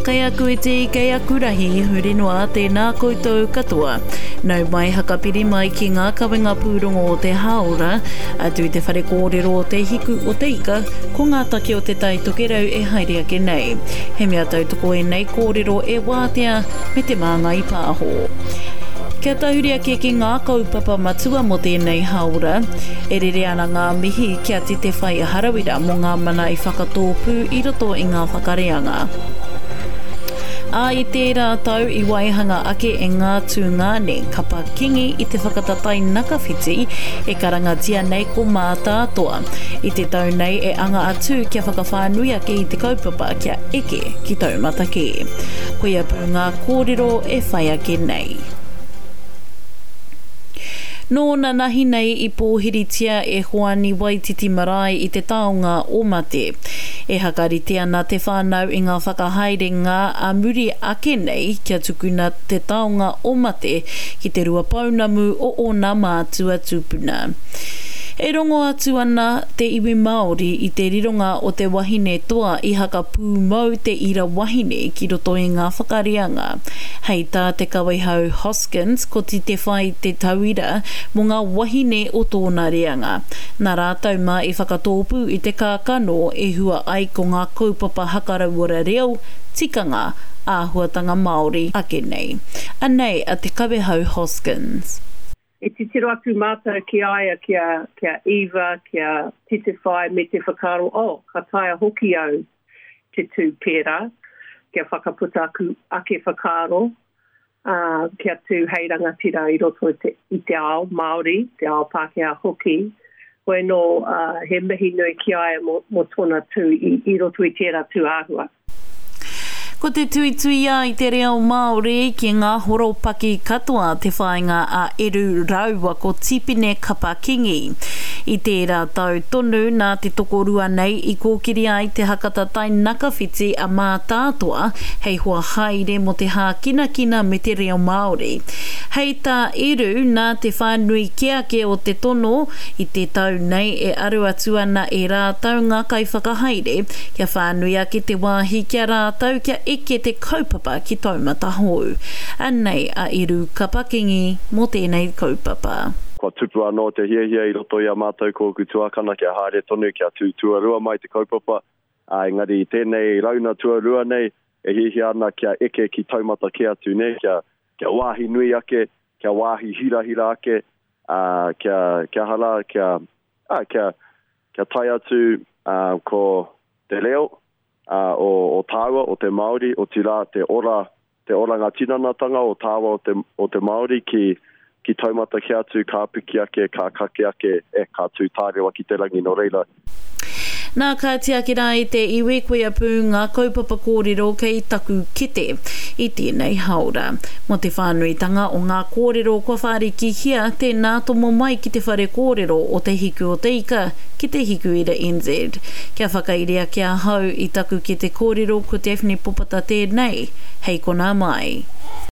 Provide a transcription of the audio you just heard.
Kei aku iti, kei aku rahi, huri noa, tēnā koutou katoa. Nau mai hakapiri mai ki ngā kawenga pūrongo o te hāora, atu i te whare kōrero o Te Hiku o Te Ika, ko ngā take o Te Tai Tokerau e haere ake nei. He mea tautoko ēnei kōrero e Wātea me Te Māngai Pāho. Kia tahuri ake ki ngā kaupapa matua mō tēnei hāora, e rere ana ngā mihi ki a Titewhai Harawira mō ngā mana i whakatōpū i roto i ngā whakareanga. Ā, i tērā tau i waihanga ake e ngā tūngāne kapa Kingi i te whakataetae nakawhiti e karangatia nei ko Mātātoa. I te tau nei e anga atu kia whakawhānui ake i te kaupapa kia eke ki taumata kē. Koia pū ngā kōrero e whai ake nei. Nō nanahi nei i pōhiritia e Hoani Waititi Marae i te taonga o Mate. E hakarite ana te whānau i ngā whakahaerenga a muri ake nei kia tukuna te taonga o Mate ki te Ruapounamu o ōna mātua tūpuna. E rongo atu ana te iwi Māori i te rironga o te wahine toa i hakapūmau te ira wahine ki roto i ngā whakareanga. Hei tā Te Kawehau Hoskins ko Titewhai te tauira mō ngā wahine o tōna reanga. Nā rātou mā i whakatōpū i te kākano e hua ai ko ngā kaupapa hakarauora reo, tikanga, āhuatanga Māori ake nei. Anei a Te Kawehau Hoskins. E titiro atu mātou ki a ia, ki a, ki a Eva, ki a Titewhai me te whakaaro, oh, ka taea hoki au te tū pērā, kia whakaputa aku ake whakaaro, ā, kia tū hei rangatira i roto i te, i te ao Māori, te ao Pākehā hoki. Hoi anō, ā, he mihi nui ki a ia mō, mō tōna tū i, i roto i tērā tū āhua. Ko te tuituia i te reo Māori ki ngā horopaki katoa te whāinga a Eru rāua ko Tipene Kapa Kingi. I tērā tau tonu nā te tokorua nei i kōkiri ai te hakatatai nakawhiti a Mātātoa hei hoa haere mō te hākinakina me te reo Māori. Hei tā Eru, nā te whānui kē ake o te tono i te tau nei e aru atu ana e rātou ngā kaiwhakahaere Kia whānui ake te wāhi ki a rātou kia eke te kaupapa ki taumata hou. Anei a Eru Kapakingi mō tēnei kaupapa. Kua tupu anō te hiahia i roto i a mātou ko ōku tuākana kia haere tonu, kia tū tuarua mai te kaupapa, ā, engari i tēnei rauna tuarua nei e hiahia ana kia eke ki taumata kē atu, nē, kia, kia wāhi nui ake, kia wāhi hirahira ake, ā, kia, kia aha rā, kia, ā, kia, kia tae atu, ā, ko te reo, ā, o, o tāua, o te Māori, otirā, te ora, te oranga tinanatanga o tāua o te, o te Māori ki, ki taumata kē atu, ka piki ake, ka kake ake, e, ka tū tārewa ki te rangi, nō reira. Nā, ka tiaki rā i te iwi, koia pū ngā kaupapa kōrero kei taku kete i tēnei hāora. Mō te whānuitanga o ngā kōrero kua whārikihia, tēnā tomo mai ki te whare kōrero o Te Hiku o Te Ika, ki Te Hikuira NZ. Kia whakairi ake ahau i taku kete kōrero ko Daphne Popata tēnei, hei konā mai.